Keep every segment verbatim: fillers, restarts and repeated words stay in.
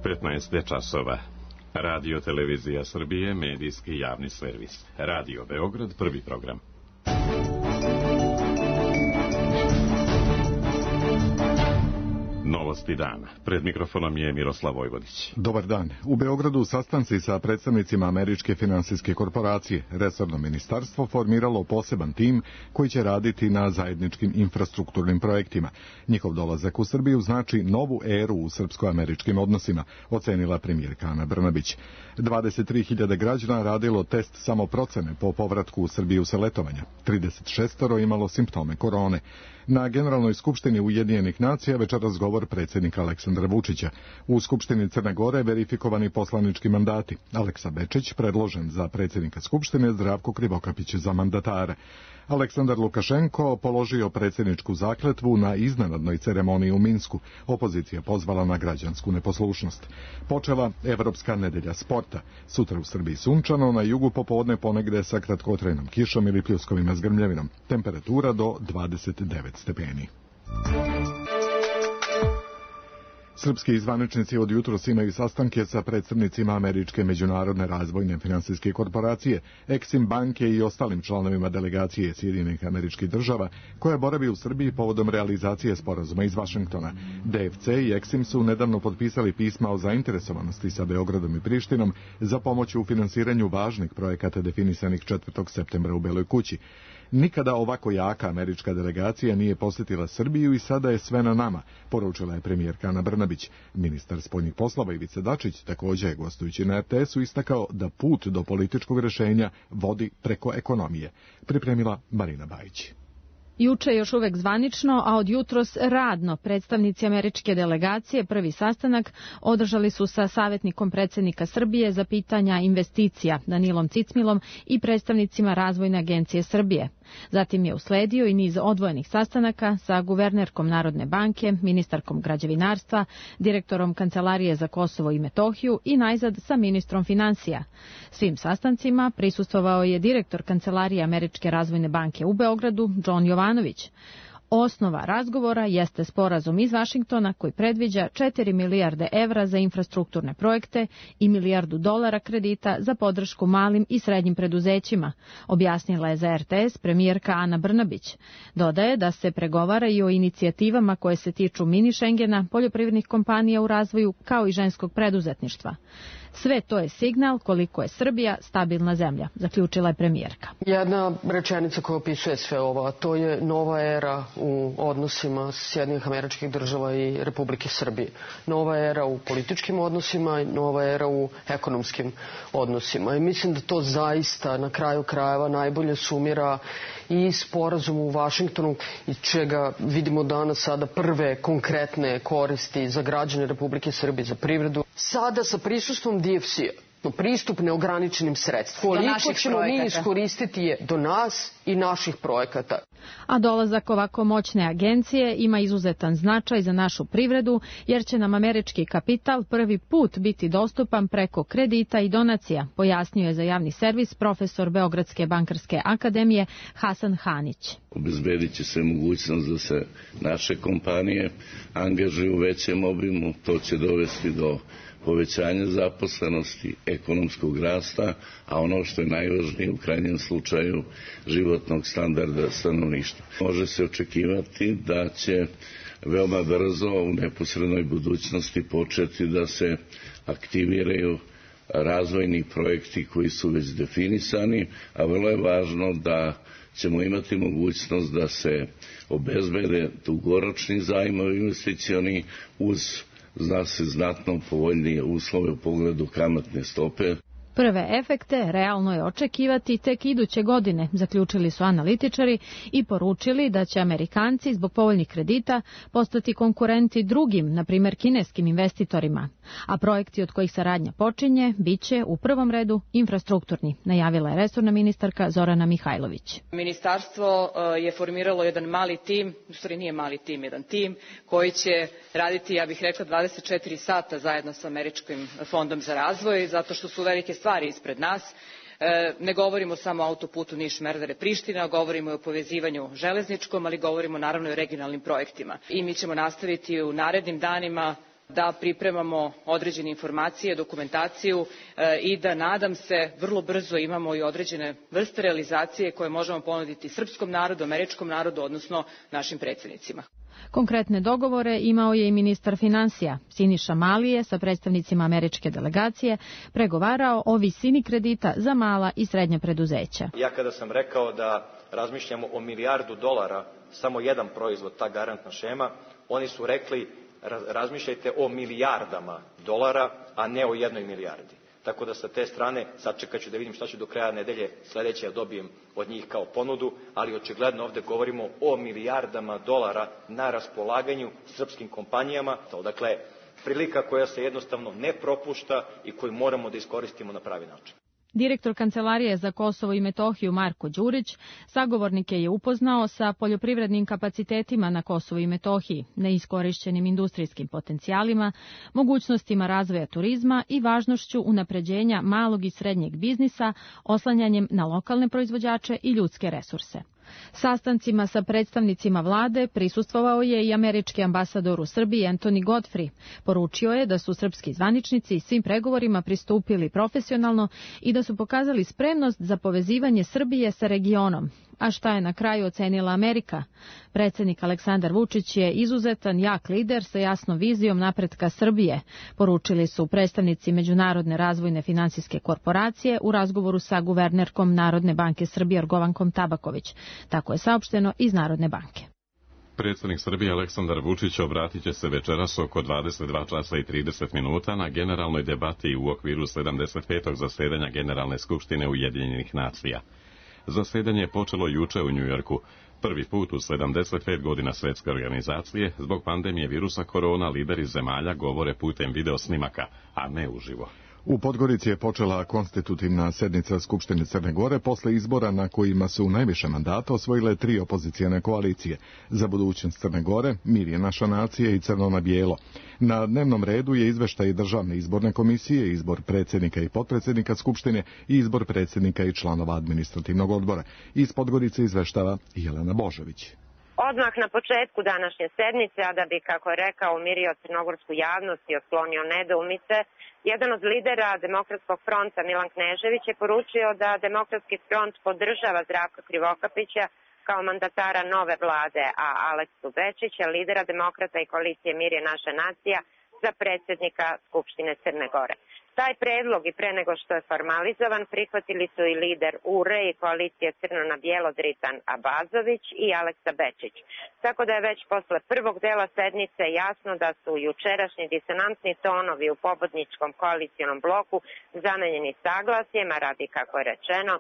petnaest je časova. Radio Televizija Srbije, medijski javni servis. Radio Beograd, prvi program. Novosti dana. Pred mikrofonom je Miroslav Vojvodić. Dobar dan. U Beogradu sastanci sa predstavnicima Američke finansijske korporacije. Resorno ministarstvo formiralo poseban tim koji će raditi na zajedničkim infrastrukturnim projektima. Njihov dolazak u Srbiju znači novu eru u srpsko-američkim odnosima, ocenila premijerka Ana Brnabić. dvadeset tri hiljade građana radilo test samoprocene po povratku u Srbiju sa letovanja. trideset šest imalo simptome korone. Na Generalnoj skupštini Ujedinjenih nacija večeras govor predsjednika Aleksandra Vučića. U Skupštini Crne Gore verifikovani poslanički mandati. Aleksa Bečić predložen za predsjednika Skupštine, Zdravko Krivokapić za mandatara. Aleksandar Lukašenko položio predsjedničku zakletvu na iznenadnoj ceremoniji u Minsku. Opozicija pozvala na građansku neposlušnost. Počela Evropska nedelja sporta. Sutra u Srbiji sunčano, na jugu popodne ponegde sa kratkotrajnom kišom ili pljuskovima s grmljavinom. Temperatura do dvadeset devet stepeni. Srpski zvaničnici od jutros imaju sastanke sa predstavnicima Američke međunarodne razvojne finansijske korporacije, Eksim banke i ostalim članovima delegacije Sjedinjenih Američkih Država, koja boravi u Srbiji povodom realizacije sporazuma iz Vašingtona. D F C i Eksim su nedavno potpisali pisma o zainteresovanosti sa Beogradom i Prištinom za pomoć u finansiranju važnih projekata definisanih četvrtog septembra u Beloj kući. Nikada ovako jaka američka delegacija nije posjetila Srbiju i sada je sve na nama, poručila je premijerka Ana Brnabić. Ministar spoljnih poslova Ivica Dačić također je, gostujući na R T S-u, istakao da put do političkog rješenja vodi preko ekonomije. Pripremila Marina Bajić. Juče još uvek zvanično, a od jutros radno, predstavnici američke delegacije prvi sastanak održali su sa savjetnikom predsjednika Srbije za pitanja investicija Danilom Cicmilom i predstavnicima Razvojne agencije Srbije. Zatim je usledio i niz odvojenih sastanaka sa guvernerkom Narodne banke, ministarkom građevinarstva, direktorom Kancelarije za Kosovo i Metohiju i najzad sa ministrom finansija. Svim sastancima prisustvovao je direktor Kancelarije Američke razvojne banke u Beogradu, John Jovanović. Osnova razgovora jeste sporazum iz Vašingtona koji predviđa četiri milijarde evra za infrastrukturne projekte i milijardu dolara kredita za podršku malim i srednjim preduzećima, objasnila je za R T S premijerka Ana Brnabić. Dodaje da se pregovara i o inicijativama koje se tiču mini Šengena, poljoprivrednih kompanija u razvoju kao i ženskog preduzetništva. Sve to je signal koliko je Srbija stabilna zemlja, zaključila je premijerka. Jedna rečenica koja opisuje sve ovo, a to je nova era u odnosima Sjedinjenih Američkih Država i Republike Srbije. Nova era u političkim odnosima i nova era u ekonomskim odnosima. I mislim da to zaista na kraju krajeva najbolje sumira i sporazum u Vašingtonu, iz čega vidimo danas sada prve konkretne koristi za građane Republike Srbije, za privredu. Sada sa prisustvom D F C-a, pristup neograničenim sredstvima. Koliko ćemo mi iskoristiti je do nas i naših projekata. A dolazak ovako moćne agencije ima izuzetan značaj za našu privredu, jer će nam američki kapital prvi put biti dostupan preko kredita i donacija, pojasnio je za javni servis profesor Beogradske bankarske akademije Hasan Hanić. Obezbedit će se mogućnost da se naše kompanije angažuju u većem obimu, to će dovesti do povećanja zaposlenosti, ekonomskog rasta, a ono što je najvažnije u krajnjem slučaju životnog standarda stanovništva. Može se očekivati da će veoma brzo u neposrednoj budućnosti početi da se aktiviraju razvojni projekti koji su već definisani, a vrlo je važno da ćemo imati mogućnost da se obezbede dugoročni zajmovi investicioni uz zna se znatno povoljnije uslove u pogledu kamatne stope. Prve efekte realno je očekivati tek iduće godine, zaključili su analitičari i poručili da će Amerikanci zbog povoljnih kredita postati konkurenti drugim, na primjer kineskim investitorima. A projekti od kojih saradnja počinje biće u prvom redu infrastrukturni, najavila je resorna ministarka Zorana Mihajlović. Ministarstvo je formiralo jedan mali tim, u stvari nije mali tim, jedan tim koji će raditi, ja bih rekla, dvadeset četiri sata zajedno sa Američkim fondom za razvoj, zato što su velike stvari ispred nas. Ne govorimo samo o autoputu Niš-Merdare-Priština, govorimo i o povezivanju železničkom, ali govorimo naravno i o regionalnim projektima. I mi ćemo nastaviti u narednim danima da pripremamo određene informacije, dokumentaciju i da, nadam se, vrlo brzo imamo i određene vrste realizacije koje možemo ponuditi srpskom narodu, američkom narodu, odnosno našim predsjednicima. Konkretne dogovore imao je i ministar finansija. Siniša Mali je sa predstavnicima američke delegacije pregovarao o visini kredita za mala i srednja preduzeća. Ja kada sam rekao da razmišljamo o milijardu dolara, samo jedan proizvod, ta garantna šema, oni su rekli razmišljajte o milijardama dolara, a ne o jednoj milijardi. Tako da sa te strane sačekat ću da vidim šta ću do kraja nedelje sledeće da dobijem od njih kao ponudu, ali očigledno ovde govorimo o milijardama dolara na raspolaganju srpskim kompanijama. Dakle, prilika koja se jednostavno ne propušta i koju moramo da iskoristimo na pravi način. Direktor Kancelarije za Kosovo i Metohiju Marko Đurić sagovornike je upoznao sa poljoprivrednim kapacitetima na Kosovu i Metohiji, neiskorišćenim industrijskim potencijalima, mogućnostima razvoja turizma i važnošću unapređenja malog i srednjeg biznisa oslanjanjem na lokalne proizvođače i ljudske resurse. Sastancima sa predstavnicima vlade prisustvovao je i američki ambasador u Srbiji Anthony Godfrey. Poručio je da su srpski zvaničnici svim pregovorima pristupili profesionalno i da su pokazali spremnost za povezivanje Srbije sa regionom. A šta je na kraju ocenila Amerika? Predsjednik Aleksandar Vučić je izuzetan, jak lider sa jasnom vizijom napretka Srbije, poručili su predstavnici Međunarodne razvojne finansijske korporacije u razgovoru sa guvernerkom Narodne banke Srbije Jorgovankom Tabaković. Tako je saopšteno iz Narodne banke. Predsjednik Srbije Aleksandar Vučić obratit će se večeras oko dvadeset dva časa i trideset minuta na generalnoj debati u okviru sedamdeset petog zasedanja Generalne skupštine Ujedinjenih nacija. Zasedanje je počelo juče u Njujorku. Prvi put u sedamdeset pet godina svetske organizacije, zbog pandemije virusa korona, lideri zemalja govore putem video snimaka, a ne uživo. U Podgorici je počela konstitutivna sednica Skupštine Crne Gore posle izbora na kojima su najviše mandata osvojile tri opozicijane koalicije. Za budućnost Crne Gore, Mir je naša nacija i Crno na bijelo. Na dnevnom redu je izveštaj Državne izborne komisije, izbor predsjednika i potpredsjednika Skupštine i izbor predsjednika i članova administrativnog odbora. Iz Podgorice izveštava Jelena Božović. Odmah na početku današnje sednice, a da bi, kako je rekao, umirio crnogorsku javnost i otklonio nedoumice, jedan od lidera Demokratskog fronta, Milan Knežević, je poručio da Demokratski front podržava Zdravka Krivokapića kao mandatara nove vlade, a Aleksu Bečića, lidera Demokrata i koalicije Mir je naša nacija, za predsjednika Skupštine Crne Gore. Taj predlog i pre nego što je formalizovan prihvatili su i lider U R E i koalicije Crno na bijelo Dritan Abazović i Aleksa Bečić. Tako da je već posle prvog dela sednice jasno da su jučerašnji disonantni tonovi u pobedničkom koalicionom bloku zamenjeni saglasjema radi, kako je rečeno,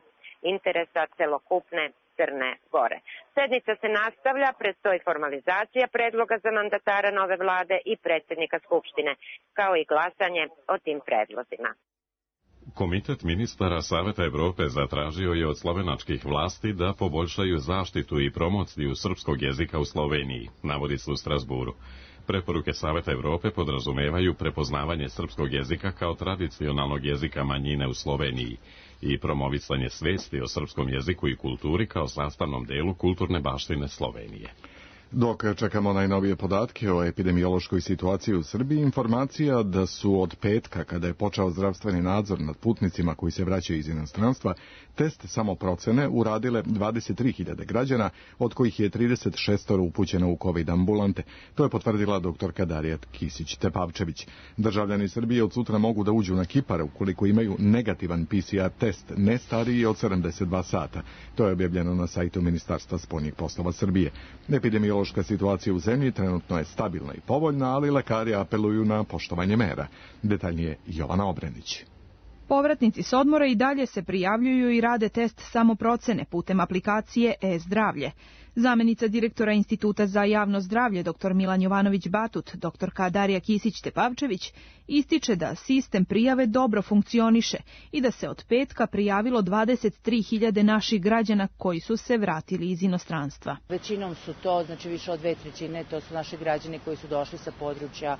interesa celokupne Crne Gore. Sednica se nastavlja, predstoji formalizacija predloga za mandatara nove vlade i predsjednika Skupštine, kao i glasanje o tim predlozima. Komitet ministara Saveta Evrope zatražio je od slovenačkih vlasti da poboljšaju zaštitu i promociju srpskog jezika u Sloveniji, navodi se u Strasburu. Preporuke Saveta Evrope podrazumevaju prepoznavanje srpskog jezika kao tradicionalnog jezika manjine u Sloveniji i promovisanje svesti o srpskom jeziku i kulturi kao sastavnom delu kulturne baštine Slovenije. Dok čekamo najnovije podatke o epidemiološkoj situaciji u Srbiji, informacija da su od petka, kada je počeo zdravstveni nadzor nad putnicima koji se vraćaju iz inostranstva, test samoprocene uradile dvadeset tri hiljade građana, od kojih je trideset šest upućeno u COVID ambulante. To je potvrdila doktorka Darija Kisić-Tepavčević. Državljani Srbije od sutra mogu da uđu na Kipar ukoliko imaju negativan P C R test, ne stariji od sedamdeset dva sata. To je objavljeno na sajtu Ministarstva spoljnih poslova Srbije. Epidemiološka situacija u zemlji trenutno je stabilna i povoljna, ali lekari apeluju na poštovanje mera. Detaljnije Jovana Obrenić. Povratnici s odmora i dalje se prijavljuju i rade test samoprocene putem aplikacije e-zdravlje. Zamenica direktora Instituta za javno zdravlje dr Milan Jovanović-Batut, doktorka Darija Kisić-Tepavčević, ističe da sistem prijave dobro funkcioniše i da se od petka prijavilo dvadeset tri hiljade naših građana koji su se vratili iz inostranstva. Većinom su to, znači više od dve trećine, to su naši građani koji su došli sa područja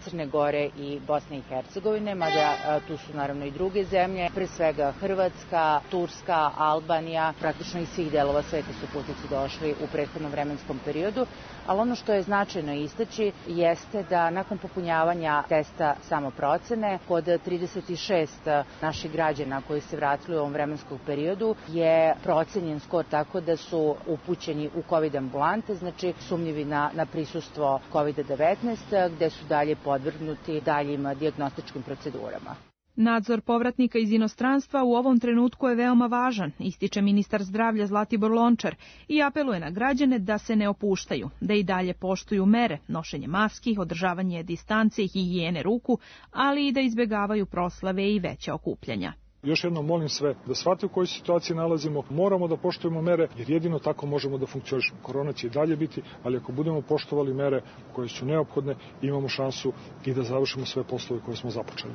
Crne Gore i Bosne i Hercegovine, mada tu su naravno i druge zemlje, pre svega Hrvatska, Turska, Albanija, praktično iz svih delova sveta su putnici došli imali u prethodnom vremenskom periodu, ali ono što je značajno istaći jeste da nakon popunjavanja testa samoprocene kod trideset šest naših građana koji se vratili u ovom vremenskom periodu je procenjen skor tako da su upućeni u COVID ambulante, znači sumnjivi na, na prisustvo kovid devetnaest, gde su dalje podvrgnuti daljim dijagnostičkim procedurama. Nadzor povratnika iz inostranstva u ovom trenutku je veoma važan, ističe ministar zdravlja Zlatibor Lončar i apeluje na građane da se ne opuštaju, da i dalje poštuju mere, nošenje maski, održavanje distance i higijene ruku, ali i da izbegavaju proslave i veća okupljanja. Još jednom molim sve da shvate u kojoj situaciji nalazimo, moramo da poštujemo mere jer jedino tako možemo da funkcionišemo. Korona će i dalje biti, ali ako budemo poštovali mere koje su neophodne, imamo šansu i da završimo sve poslove koje smo započeli.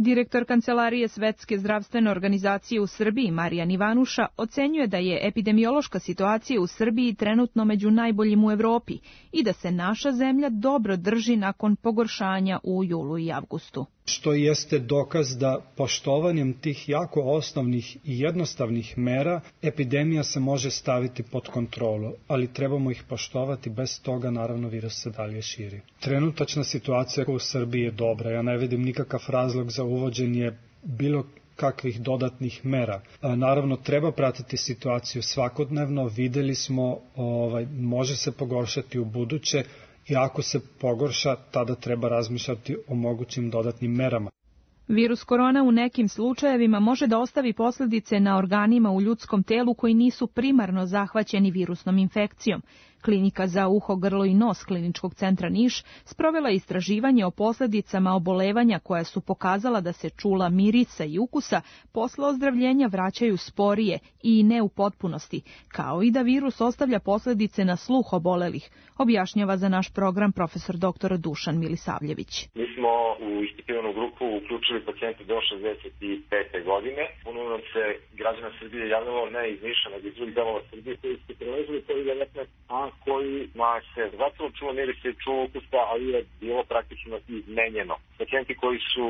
Direktor Kancelarije Svetske zdravstvene organizacije u Srbiji, Marijan Ivanuša, ocenjuje da je epidemiološka situacija u Srbiji trenutno među najboljim u Evropi i da se naša zemlja dobro drži nakon pogoršanja u julu i avgustu. Što jeste dokaz da poštovanjem tih jako osnovnih i jednostavnih mera epidemija se može staviti pod kontrolu, ali trebamo ih poštovati, bez toga naravno virus se dalje širi. Trenutačna situacija u Srbiji je dobra, ja ne vidim nikakav razlog za uvođenje bilo kakvih dodatnih mera. Naravno, treba pratiti situaciju svakodnevno, videli smo, ovaj, može se pogoršati u buduće, i ako se pogorša, tada treba razmišljati o mogućim dodatnim merama. Virus korona u nekim slučajevima može da ostavi posljedice na organima u ljudskom telu koji nisu primarno zahvaćeni virusnom infekcijom. Klinika za uho, grlo i nos Kliničkog centra Niš sprovela istraživanje o posljedicama obolevanja koja su pokazala da se čula mirisa i ukusa posle ozdravljenja vraćaju sporije i ne u potpunosti, kao i da virus ostavlja posljedice na sluh obolelih, objašnjava za naš program profesor doktor Dušan Milisavljević. Mi smo u ispitivanu grupu uključili pacijente do šezdeset pete godine. Puno nam se građana Srbije javljalo ne iz Niša, nego iz drugih delova Srbije koji su prelazili kovid devetnaest, a kojima se zapravo čulo miris i čulo ukusa, ali je bilo praktično izmenjeno. Pacijenti koji su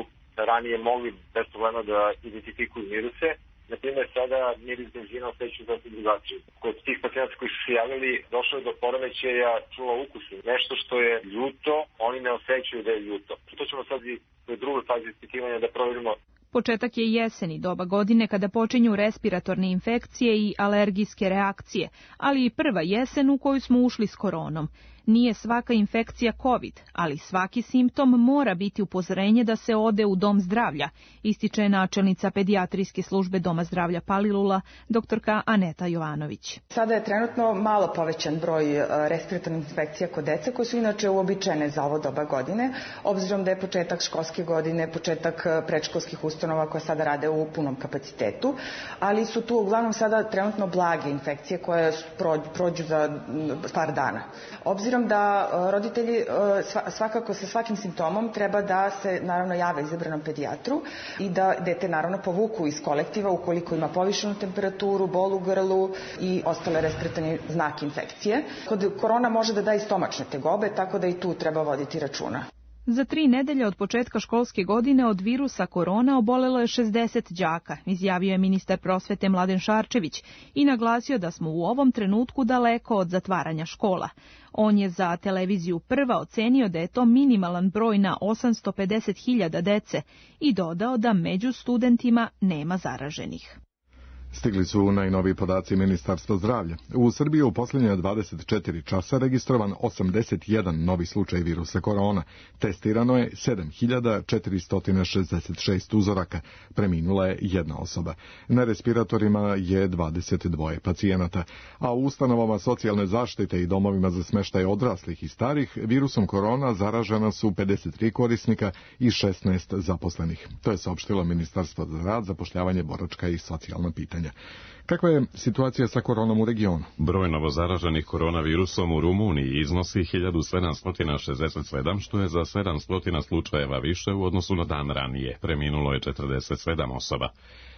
ranije mogli bez problema da identifikuju miruse, na primjer sada miris benzina osjećaju sasvim drugačije. Kod tih pacijenta koji su se javili došlo je do poremećaja čula ukusa. Nešto što je ljuto, oni ne osjećaju da je ljuto. To ćemo sad i u drugoj fazi ispitivanja da proverimo. Početak je jeseni, doba godine kada počinju respiratorne infekcije i alergijske reakcije, ali i prva jesen u koju smo ušli s koronom. Nije svaka infekcija COVID, ali svaki simptom mora biti upozorenje da se ode u dom zdravlja, ističe načelnica pedijatrijske službe Doma zdravlja Palilula, doktorka Aneta Jovanović. Sada je trenutno malo povećan broj respiratornih infekcija kod dece, koje su inače uobičajene za ovo doba godine, obzirom da je početak školske godine, početak predškolskih ustanova koje sada rade u punom kapacitetu, ali su tu uglavnom sada trenutno blage infekcije koje prođu za par dana. Obzirom da roditelji svakako sa svakim simptomom treba da se naravno jave izabranom pedijatru i da dete naravno povuku iz kolektiva ukoliko ima povišenu temperaturu, bol u grlu i ostale respiratorne znake infekcije. Kod korona može da da i stomačne tegobe, tako da i tu treba voditi računa. Za tri nedelje od početka školske godine od virusa korona obolelo je šezdeset đaka, izjavio je ministar prosvete Mladen Šarčević i naglasio da smo u ovom trenutku daleko od zatvaranja škola. On je za televiziju Prva ocenio da je to minimalan broj na osamsto pedeset hiljada dece i dodao da među studentima nema zaraženih. Stigli su najnoviji podaci Ministarstva zdravlja. U Srbiji u posljednje dvadeset četiri časa registrovan osamdeset jedan novi slučaj virusa korona. Testirano je sedam hiljada četiristo šezdeset šest uzoraka. Preminula je jedna osoba. Na respiratorima je dvadeset dva pacijenata, a u ustanovama socijalne zaštite i domovima za smještaj odraslih i starih virusom korona zaražena su pedeset tri korisnika i šesnaest zaposlenih. To je saopštilo Ministarstvo za rad, zapošljavanje, boračka i socijalna pitanja. Kakva je situacija sa koronom u regionu? Broj novozaraženih koronavirusom u Rumuniji iznosi hiljadu sedamsto šezdeset sedam, što je za sedamsto slučajeva više u odnosu na dan ranije. Preminulo je četrdeset sedam osoba.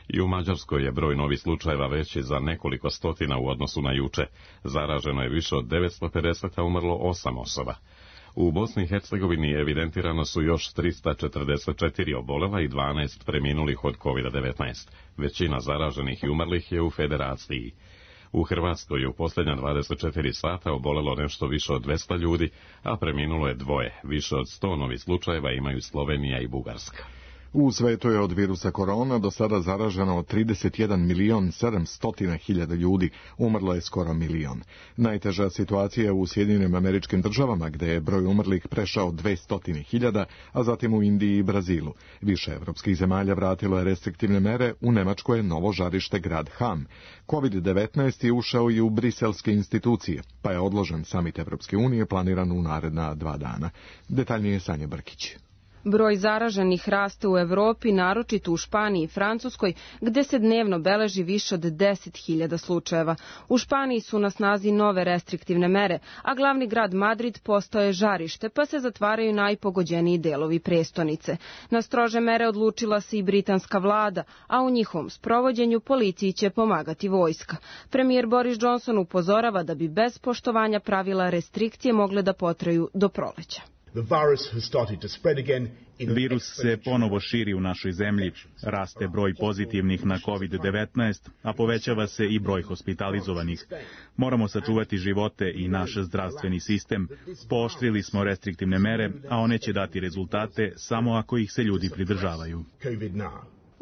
I u Mađarskoj je broj novih slučajeva veći za nekoliko stotina u odnosu na juče. Zaraženo je više od devetsto pedeset, a umrlo osam osoba. U Bosni i Hercegovini evidentirano su još trista četrdeset četiri obolela i dvanaest preminulih od kovid devetnaest. Većina zaraženih i umrlih je u Federaciji. U Hrvatskoj je u posljednja dvadeset četiri sata obolelo nešto više od dvesta ljudi, a preminulo je dvoje. Više od sto novih slučajeva imaju Slovenija i Bugarska. U svetu je od virusa korona do sada zaraženo trideset jedan milion sedamsto hiljada ljudi, umrlo je skoro milion. Najteža situacija je u Sjedinjenim Američkim Državama, gde je broj umrlih prešao dvesta hiljada, a zatim u Indiji i Brazilu. Više evropskih zemalja vratilo je restriktivne mere, u Nemačkoj je novo žarište grad Ham. kovid devetnaest je ušao i u briselske institucije, pa je odložen samit Evropske unije planiran u naredna dva dana. Detaljnije Sanja Brkić. Broj zaraženih raste u Evropi, naročito u Španiji i Francuskoj, gde se dnevno beleži više od deset hiljada slučajeva. U Španiji su na snazi nove restriktivne mere, a glavni grad Madrid postao je žarište, pa se zatvaraju najpogođeniji delovi prestonice. Na strože mere odlučila se i britanska vlada, a u njihovom sprovođenju policiji će pomagati vojska. Premijer Boris Johnson upozorava da bi bez poštovanja pravila restrikcije mogle da potraju do proleća. Virus se ponovo širi u našoj zemlji, raste broj pozitivnih na kovid devetnaest, a povećava se i broj hospitalizovanih. Moramo sačuvati živote i naš zdravstveni sistem. Pooštrili smo restriktivne mere, a one će dati rezultate samo ako ih se ljudi pridržavaju.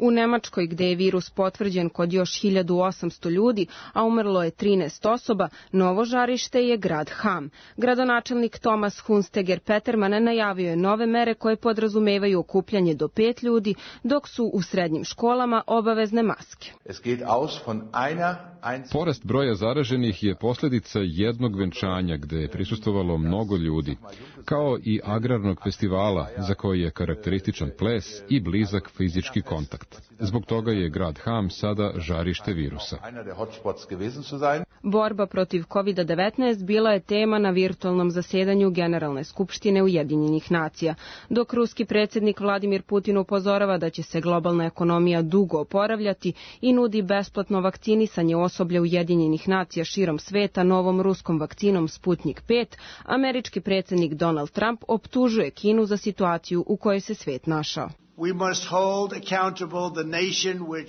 U Nemačkoj, gde je virus potvrđen kod još hiljadu osamsto ljudi, a umrlo je trinaest osoba, novo žarište je grad Ham. Gradonačelnik Thomas Hunsteger Peterman najavio je nove mere koje podrazumevaju okupljanje do pet ljudi, dok su u srednjim školama obavezne maske. Porast broja zaraženih je posljedica jednog venčanja gde je prisustvovalo mnogo ljudi, kao i agrarnog festivala za koji je karakterističan ples i blizak fizički kontakt. Zbog toga je grad Ham sada žarište virusa. Borba protiv kovid devetnaest bila je tema na virtualnom zasedanju Generalne skupštine Ujedinjenih nacija. Dok ruski predsjednik Vladimir Putin upozorava da će se globalna ekonomija dugo oporavljati i nudi besplatno vakcinisanje osoblja Ujedinjenih nacija širom sveta novom ruskom vakcinom Sputnik pet, američki predsjednik Donald Trump optužuje Kinu za situaciju u kojoj se svet našao.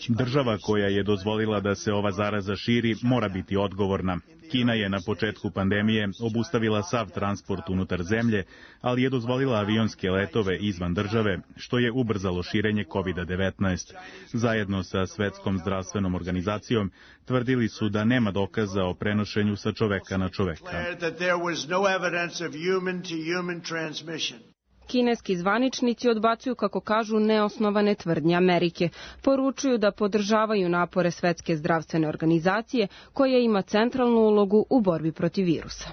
Država koja je dozvolila da se ova zaraza širi mora biti odgovorna. Kina je na početku pandemije obustavila sav transport unutar zemlje, ali je dozvolila avionske letove izvan države, što je ubrzalo širenje kovid devetnaest. Zajedno sa Svetskom zdravstvenom organizacijom tvrdili su da nema dokaza o prenošenju sa čoveka na čoveka. Kineski zvaničnici odbacuju, kako kažu, neosnovane tvrdnje Amerike. Poručuju da podržavaju napore Svetske zdravstvene organizacije, koja ima centralnu ulogu u borbi protiv virusa.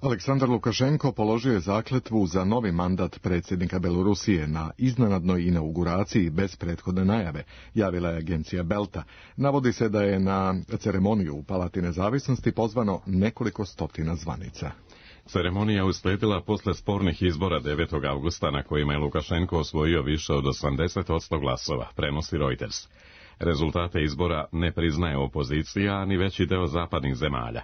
Aleksandar Lukašenko položio je zakletvu za novi mandat predsjednika Belorusije na iznenadnoj inauguraciji bez prethodne najave, javila je agencija Belta. Navodi se da je na ceremoniju u Palati nezavisnosti pozvano nekoliko stotina zvanica. Ceremonija uslijedila posle spornih izbora devetog avgusta na kojima je Lukašenko osvojio više od osamdeset posto glasova, prenosi Reuters. Rezultate izbora ne priznaje opozicija, a ni veći deo zapadnih zemalja.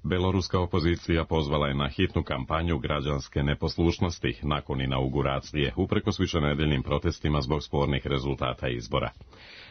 Beloruska opozicija pozvala je na hitnu kampanju građanske neposlušnosti nakon inauguracije, uprkos višenedeljnim protestima zbog spornih rezultata izbora.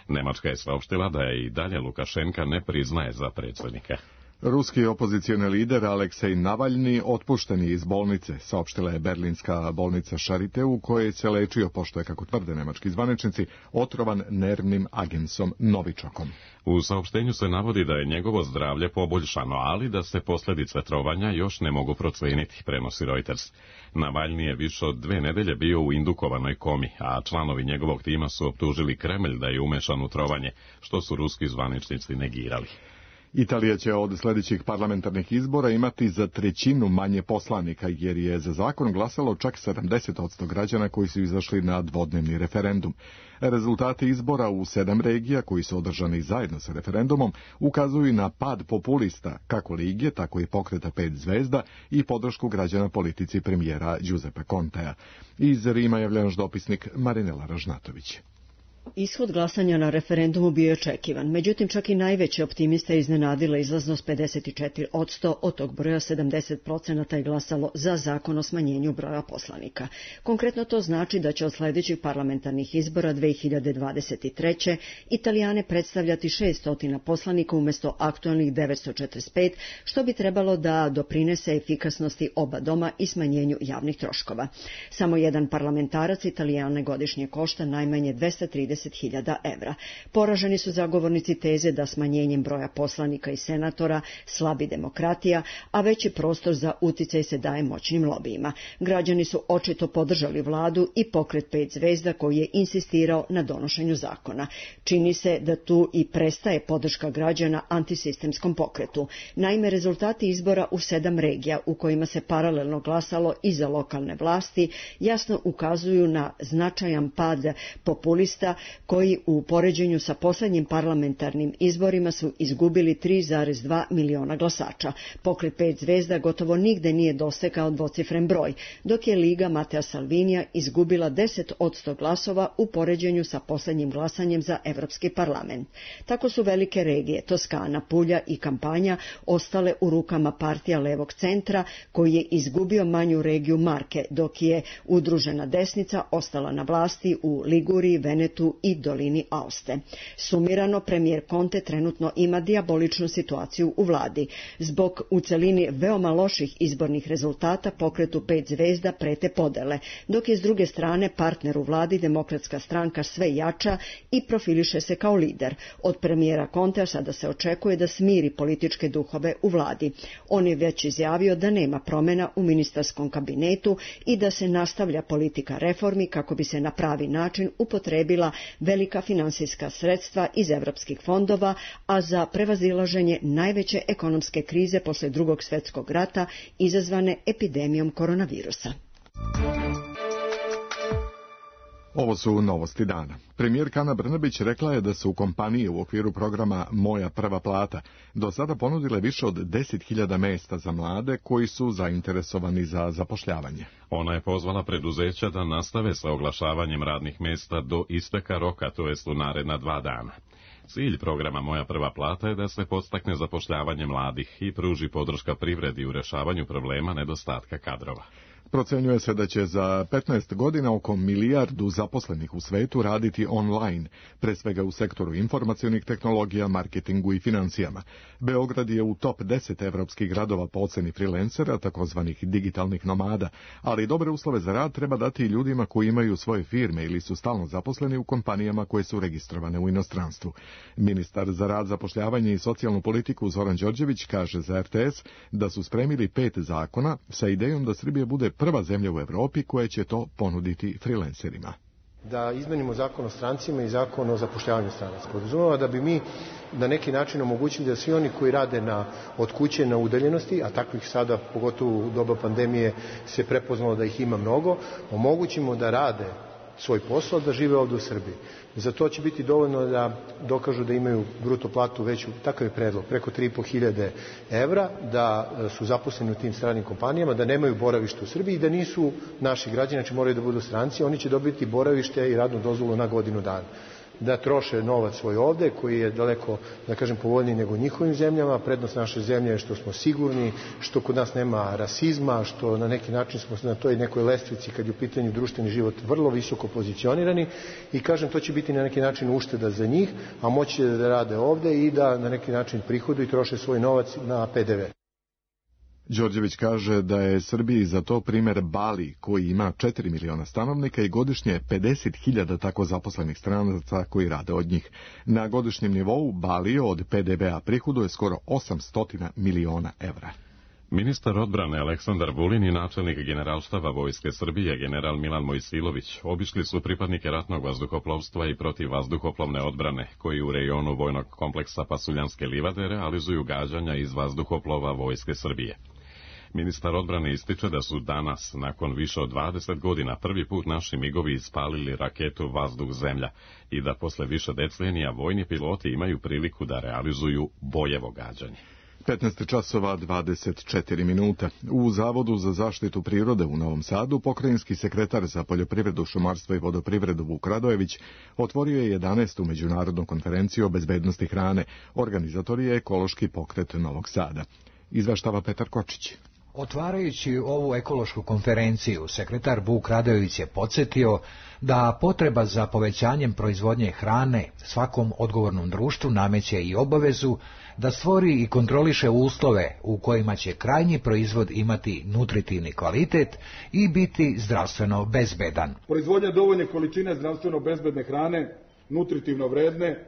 Nemačka je saopštila da je i dalje Lukašenka ne priznaje za predsjednika. Ruski opozicioni lider Aleksej Navalni otpušten je iz bolnice, saopštila je berlinska bolnica Charité, u kojoj se lečio, pošto je, kako tvrde nemački zvaničnici, otrovan nervnim agensom Novičokom. U saopštenju se navodi da je njegovo zdravlje poboljšano, ali da se posljedice trovanja još ne mogu procijeniti, prenosi Reuters. Navalni je više od dve nedelje bio u indukovanoj komi, a članovi njegovog tima su optužili Kremlj da je umešan u trovanje, što su ruski zvaničnici negirali. Italija će od sljedećih parlamentarnih izbora imati za trećinu manje poslanika, jer je za zakon glasalo čak sedamdeset posto građana koji su izašli na dvodnevni referendum. Rezultati izbora u sedam regija, koji su održani zajedno sa referendumom, ukazuju na pad populista, kako Lige, tako i pokreta pet zvezda i podršku građana politici premijera Giuseppe Contea. Iz Rima javlja naš dopisnik Marinela Ražnatović. Ishod glasanja na referendumu bio je očekivan, međutim čak i najveće optimiste iznenadila izlaznost pedeset četiri posto, od tog broja sedamdeset procenata je glasalo za zakon o smanjenju broja poslanika. Konkretno to znači da će od sljedećih parlamentarnih izbora dve hiljade dvadeset treće. Italijane predstavljati šesto poslanika umjesto aktualnih devetsto četrdeset pet, što bi trebalo da doprinese efikasnosti oba doma i smanjenju javnih troškova. Samo jedan parlamentarac Italijane godišnje košta najmanje dvesta trideset hiljada evra. Poraženi su zagovornici teze da smanjenjem broja poslanika i senatora slabi demokratija, a veći prostor za uticaj se daje moćnim lobijima. Građani su očito podržali vladu i pokret pet zvezda koji je insistirao na donošenju zakona. Čini se da tu i prestaje podrška građana antisistemskom pokretu. Naime, rezultati izbora u sedam regija u kojima se paralelno glasalo i za lokalne vlasti jasno ukazuju na značajan pad populista koji u poređenju sa posljednjim parlamentarnim izborima su izgubili tri zarez dva miliona glasača. Pokret pet zvezda gotovo nigde nije dosegao dvocifren broj, dok je Liga Matea Salvinija izgubila deset posto glasova u poređenju sa posljednjim glasanjem za Evropski parlament. Tako su velike regije Toskana, Pulja i Kampanja ostale u rukama partija levog centra koji je izgubio manju regiju Marke, dok je udružena desnica ostala na vlasti u Liguriji, Venetu i dolini Aoste. Sumirano, premijer Conte trenutno ima dijaboličnu situaciju u vladi. Zbog u celini veoma loših izbornih rezultata pokretu pet zvezda prete podele, dok je s druge strane partner u vladi Demokratska stranka sve jača i profiliše se kao lider. Od premijera Contea sada se očekuje da smiri političke duhove u vladi. On je već izjavio da nema promjena u ministarskom kabinetu i da se nastavlja politika reformi kako bi se na pravi način upotrebila velika finansijska sredstva iz evropskih fondova, a za prevazilaženje najveće ekonomske krize poslije drugog svjetskog rata izazvane epidemijom koronavirusa. Ovo su novosti dana. Premijerka Ana Brnabić rekla je da su kompanije u okviru programa Moja prva plata do sada ponudile više od deset hiljada mesta za mlade koji su zainteresovani za zapošljavanje. Ona je pozvala preduzeća da nastave sa oglašavanjem radnih mesta do isteka roka, to jest u naredna dva dana. Cilj programa Moja prva plata je da se podstakne zapošljavanje mladih i pruži podrška privredi u rješavanju problema nedostatka kadrova. Procenjuje se da će za petnaest godina oko milijardu zaposlenih u svetu raditi online, pre svega u sektoru informacionih tehnologija, marketingu i financijama. Beograd je u top deset evropskih gradova po oceni freelancera, takozvanih digitalnih nomada, ali dobre uslove za rad treba dati i ljudima koji imaju svoje firme ili su stalno zaposleni u kompanijama koje su registrovane u inostranstvu. Ministar za rad, zapošljavanje i socijalnu politiku Zoran Đorđević kaže za R T S da su spremili pet zakona sa idejom da Srbija bude prva zemlja u Evropi koja će to ponuditi freelancerima. Da izmenimo zakon o strancima i zakon o zapošljavanju stranaca. Podrazumeva da bi mi na neki način omogućili da svi oni koji rade na, od kuće na udaljenosti, a takvih sada, pogotovo u doba pandemije, se prepoznalo da ih ima mnogo, omogućimo da rade svoj posao, da žive ovdje u Srbiji. Za to će biti dovoljno da dokažu da imaju bruto platu veću, takav je predlog, preko tri i po hiljade evra, da su zaposleni u tim stranim kompanijama, da nemaju boravište u Srbiji i da nisu naši građani, znači moraju da budu stranci, oni će dobiti boravište i radnu dozvolu na godinu dana. Da troše novac svoj ovde, koji je daleko, da kažem, povoljniji nego u njihovim zemljama. Prednost naše zemlje je što smo sigurni, što kod nas nema rasizma, što na neki način smo na toj nekoj lestvici kad je u pitanju društveni život vrlo visoko pozicionirani i kažem, to će biti na neki način ušteda za njih, a moći da rade ovde i da na neki način prihoduju i troše svoj novac na P D V. Đorđević kaže da je Srbiji za to primjer Bali, koji ima četiri miliona stanovnika i godišnje pedeset hiljada tako zaposlenih stranaca koji rade od njih. Na godišnjem nivou Bali od P D V-a prihoduje skoro osamsto miliona evra. Ministar odbrane Aleksandar Vulin i načelnik generalštaba Vojske Srbije general Milan Mojsilović obišli su pripadnike ratnog vazduhoplovstva i protivvazduhoplovne odbrane, koji u rejonu vojnog kompleksa Pasuljanske livade realizuju gađanja iz vazduhoplova Vojske Srbije. Ministar odbrane ističe da su danas, nakon više od dvadeset godina, prvi put naši migovi ispalili raketu vazduh-zemlja i da posle više decenija vojni piloti imaju priliku da realizuju bojevo gađanje. petnaest časova dvadeset četiri minuta. U Zavodu za zaštitu prirode u Novom Sadu pokrajinski sekretar za poljoprivredu, šumarstvo i vodoprivredu Vuk Radojević otvorio je jedanaestu međunarodnu konferenciju o bezbednosti hrane. Organizator je ekološki pokret Novog Sada. Izveštava Petar Kočić. Otvarajući ovu ekološku konferenciju, sekretar Vuk Radojević je podsjetio da potreba za povećanjem proizvodnje hrane svakom odgovornom društvu nameće i obavezu da stvori i kontroliše uslove u kojima će krajnji proizvod imati nutritivni kvalitet i biti zdravstveno bezbedan. Proizvodnja dovoljne količine zdravstveno bezbedne hrane, nutritivno vredne,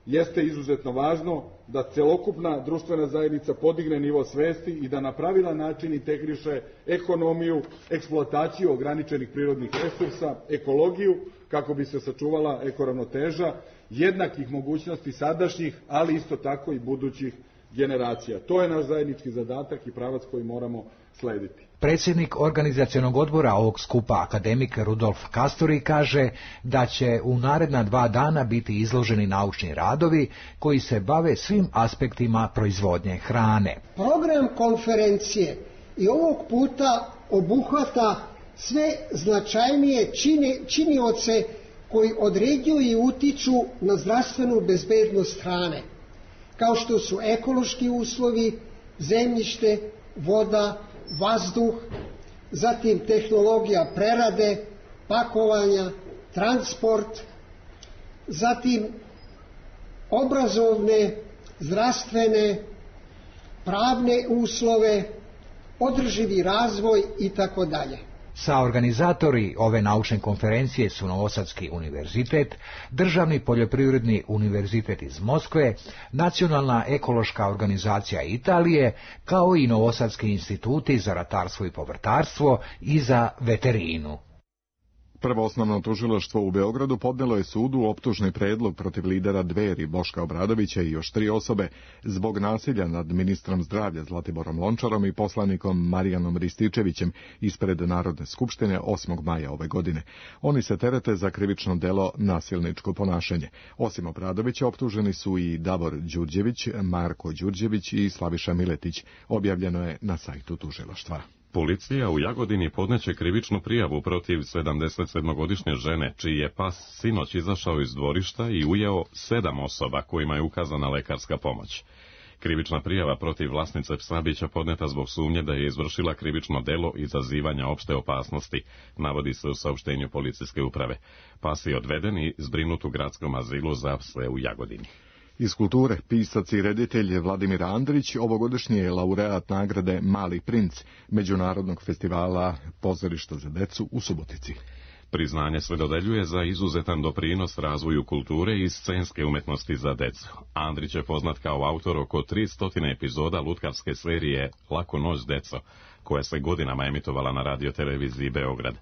jeste izuzetno važno da celokupna društvena zajednica podigne nivo svesti i da na pravilan način integriše ekonomiju, eksploataciju ograničenih prirodnih resursa, ekologiju, kako bi se sačuvala ekoravnoteža jednakih mogućnosti sadašnjih, ali isto tako i budućih generacija. To je naš zajednički zadatak i pravac koji moramo slediti. Predsjednik organizacionog odbora ovog skupa, akademik Rudolf Kasturi, kaže da će u naredna dva dana biti izloženi naučni radovi koji se bave svim aspektima proizvodnje hrane. Program konferencije i ovog puta obuhvata sve značajnije čini, činioce koji određuju i utiču na zdravstvenu bezbednost hrane, kao što su ekološki uslovi, zemljište, voda, vazduh, zatim tehnologija prerade, pakovanja, transport, zatim obrazovne, zdravstvene, pravne uslove, održivi razvoj i tako dalje. Sa organizatori ove naučne konferencije su Novosadski univerzitet, Državni poljoprivredni univerzitet iz Moskve, Nacionalna ekološka organizacija Italije, kao i Novosadski instituti za ratarstvo i povrtarstvo i za veterinu. Prvo osnovno tužilaštvo u Beogradu podnelo je sudu optužni predlog protiv lidera Dveri Boška Obradovića i još tri osobe zbog nasilja nad ministrom zdravlja Zlatiborom Lončarom i poslanikom Marijanom Rističevićem ispred Narodne skupštine osmog maja ove godine. Oni se terete za krivično delo nasilničko ponašanje. Osim Obradovića optuženi su i Davor Đurđević, Marko Đurđević i Slaviša Miletić. Objavljeno je na sajtu tužilaštva. Policija u Jagodini podneće krivičnu prijavu protiv sedamdesetsedmogodišnje žene, čiji je pas sinoć izašao iz dvorišta i ujeo sedam osoba kojima je ukazana lekarska pomoć. Krivična prijava protiv vlasnice psa biće podneta zbog sumnje da je izvršila krivično delo izazivanja opšte opasnosti, navodi se u saopštenju policijske uprave. Pas je odveden i zbrinut u gradskom azilu za pse u Jagodini. Iz kulture, pisac i reditelj Vladimir Andrić ovogodišnji je laureat nagrade Mali princ Međunarodnog festivala pozorišta za decu u Subotici. Priznanje se dodeljuje za izuzetan doprinos razvoju kulture i scenske umetnosti za decu. Andrić je poznat kao autor oko tristo epizoda lutkarske serije Lako noć deco, koja se godinama emitovala na radio televiziji Beograd.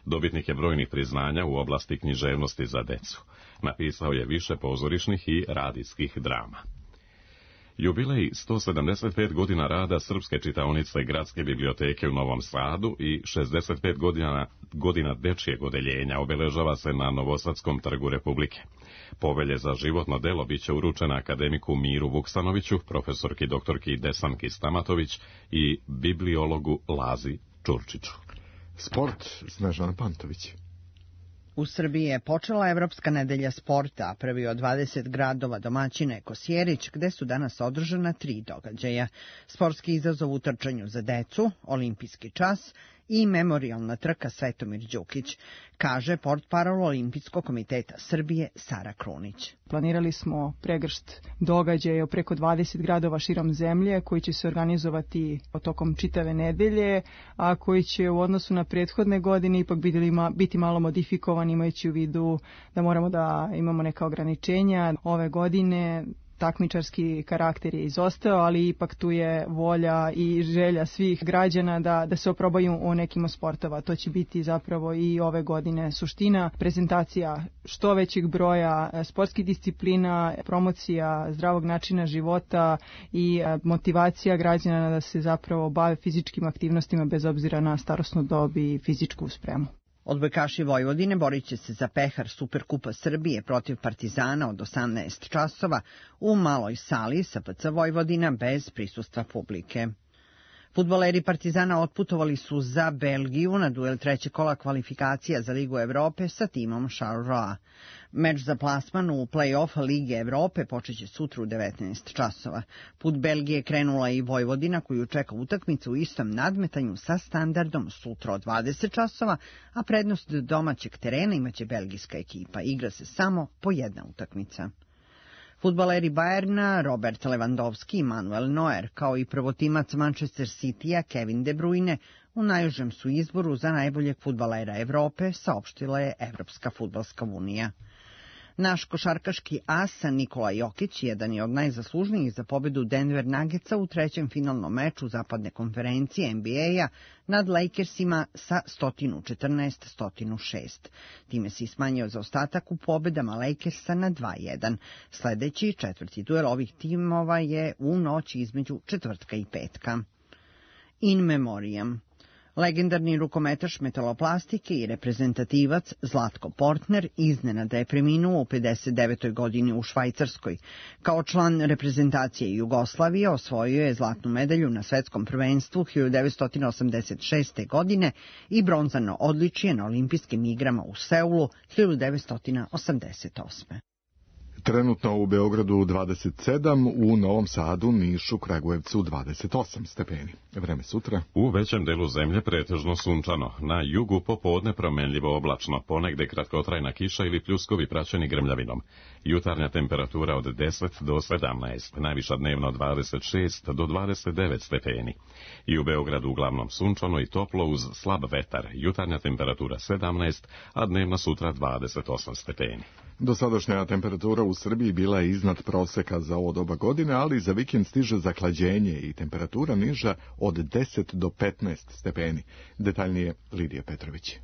Dobitnik je brojnih priznanja u oblasti književnosti za decu. Napisao je više pozorišnih i radijskih drama. Jubilej sto sedamdeset pet godina rada Srpske čitaonice Gradske biblioteke u Novom Sadu i šezdeset pet godina, godina dečijeg odeljenja obeležava se na Novosadskom trgu Republike. Povelje za životno delo biće uručena akademiku Miru Vuksanoviću, profesorki doktorki Desanki Stamatović i bibliologu Lazi Čurčiću. Sport, Snežana Pantović. U Srbiji je počela Evropska nedelja sporta, prvi od dvadeset gradova domaćina je Kosjerić, gde su danas održana tri događaja. Sportski izazov u trčanju za decu, olimpijski čas i memorijalna trka Svetomir Đukić, kaže portparol Olimpijskog komiteta Srbije Sara Krunić. Planirali smo pregršt događaja u preko dvadeset gradova širom zemlje koji će se organizovati tokom čitave nedelje, a koji će u odnosu na prethodne godine ipak biti malo modifikovani, imajući u vidu da moramo da imamo neka ograničenja. Ove godine takmičarski karakter je izostao, ali ipak tu je volja i želja svih građana da, da se oprobaju u nekim sportova. To će biti zapravo i ove godine suština, prezentacija što većeg broja sportskih disciplina, promocija zdravog načina života i motivacija građana da se zapravo bave fizičkim aktivnostima bez obzira na starosnu dob i fizičku spremu. Odbojkaši Vojvodine borit će se za pehar Superkupa Srbije protiv Partizana od osamnaest časova u maloj sali S P C Vojvodina bez prisustva publike. Fudbaleri Partizana otputovali su za Belgiju na duel trećeg kola kvalifikacija za Ligu Evrope sa timom Charleroi. Meč za plasman u play-off Lige Evrope počeće sutra u devetnaest časova. Put Belgije krenula i Vojvodina koju čeka utakmica u istom nadmetanju sa Standardom sutra od dvadeset časova, a prednost domaćeg terena imaće belgijska ekipa. Igra se samo po jedna utakmica. Fudbaleri Bayerna, Robert Lewandowski i Manuel Neuer, kao i prvotimac Manchester City-a Kevin De Bruyne, u najužem su izboru za najboljeg fudbalera Evrope, saopštila je Evropska fudbalska unija. Naš košarkaški as Nikola Jokić jedan je od najzaslužnijih za pobedu Denver Nuggetsa u trećem finalnom meču zapadne konferencije N B A-a nad Lakersima sa sto četrnaest sto šest. Time se smanjio zaostatak u pobedama Lakersa na dva jedan. Sledeći četvrti duel ovih timova je u noći između četvrtka i petka. In memoriam. Legendarni rukometaš metaloplastike i reprezentativac Zlatko Portner iznenada je preminuo u pedeset devetoj godini u Švajcarskoj. Kao član reprezentacije Jugoslavije osvojio je zlatnu medalju na svetskom prvenstvu hiljadu devetsto osamdeset šeste. godine i bronzano odličje na olimpijskim igrama u Seulu hiljadu devetsto osamdeset osme. Trenutno u Beogradu dvadeset sedam, u Novom Sadu, Nišu, Kragujevcu dvadeset osam stepeni. Vreme sutra. U većem delu zemlje pretežno sunčano. Na jugu popodne promenljivo oblačno, ponegde kratkotrajna kiša ili pljuskovi praćeni grmljavinom. Jutarnja temperatura od deset do sedamnaest, najviša dnevno dvadeset šest do dvadeset devet stepeni. I u Beogradu uglavnom sunčano i toplo uz slab vetar. Jutarnja temperatura sedamnaest, a dnevna sutra dvadeset osam stepeni. Dosadašnja temperatura u Srbiji bila je iznad proseka za ovo doba godine, ali za vikend stiže zahlađenje i temperatura niža od deset do petnaest stepeni. Detaljnije Lidija Petrović.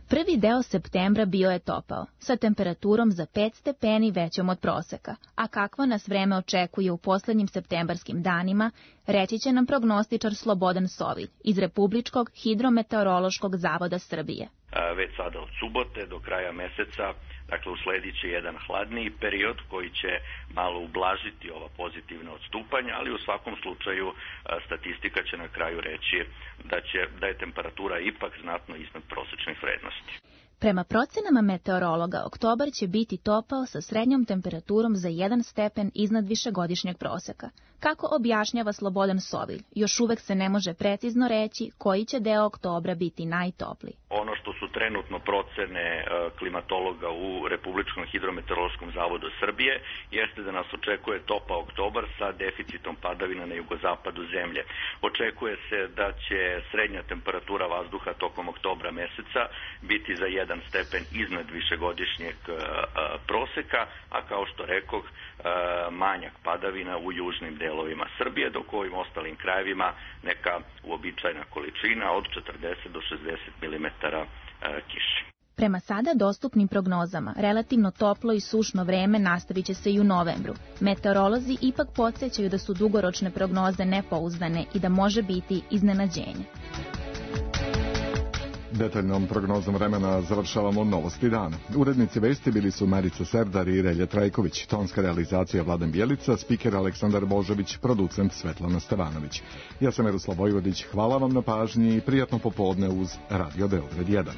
Prvi deo septembra bio je topao, sa temperaturom za pet stepeni većom od proseka. A kakvo nas vreme očekuje u poslednjim septembarskim danima, reći će nam prognostičar Slobodan Sovilj iz Republičkog hidrometeorološkog zavoda Srbije. Već sada od subote do kraja meseca, dakle usledit će jedan hladniji period koji će malo ublažiti ova pozitivna odstupanja, ali u svakom slučaju statistika će na kraju reći da, će, da je temperatura ipak znatno iznad prosečnih vrednosti. Prema procenama meteorologa, oktobar će biti topao sa srednjom temperaturom za jedan stepen iznad višegodišnjeg proseka. Kako objašnjava Slobodan Sovilj, još uvek se ne može precizno reći koji će deo oktobra biti najtopliji. Ono što su trenutno procene klimatologa u Republičkom hidrometeorološkom zavodu Srbije jeste da nas očekuje topao oktobar sa deficitom padavina na jugozapadu zemlje. Očekuje se da će srednja temperatura vazduha tokom oktobra meseca biti za jedan stepen iznad višegodišnjeg proseka, a kao što rekoh, manjak padavina u južnim delovima Srbije, dok u ovim ostalim krajevima neka uobičajena količina od četrdeset do šezdeset milimetara kiše. Prema sada dostupnim prognozama, relativno toplo i sušno vreme nastavit će se i u novembru. Meteorolozi ipak podsjećaju da su dugoročne prognoze nepouzdane i da može biti iznenađenje. Detaljnom prognozom vremena završavamo novosti dana. Urednici vesti bili su Marica Serdar i Relja Trajković, tonska realizacija Vladan Bjelica, spiker Aleksandar Božović, producent Svetlana Stevanović. Ja sam Miroslav Vojvodić, hvala vam na pažnji i prijatno popodne uz Radio Beograd jedan.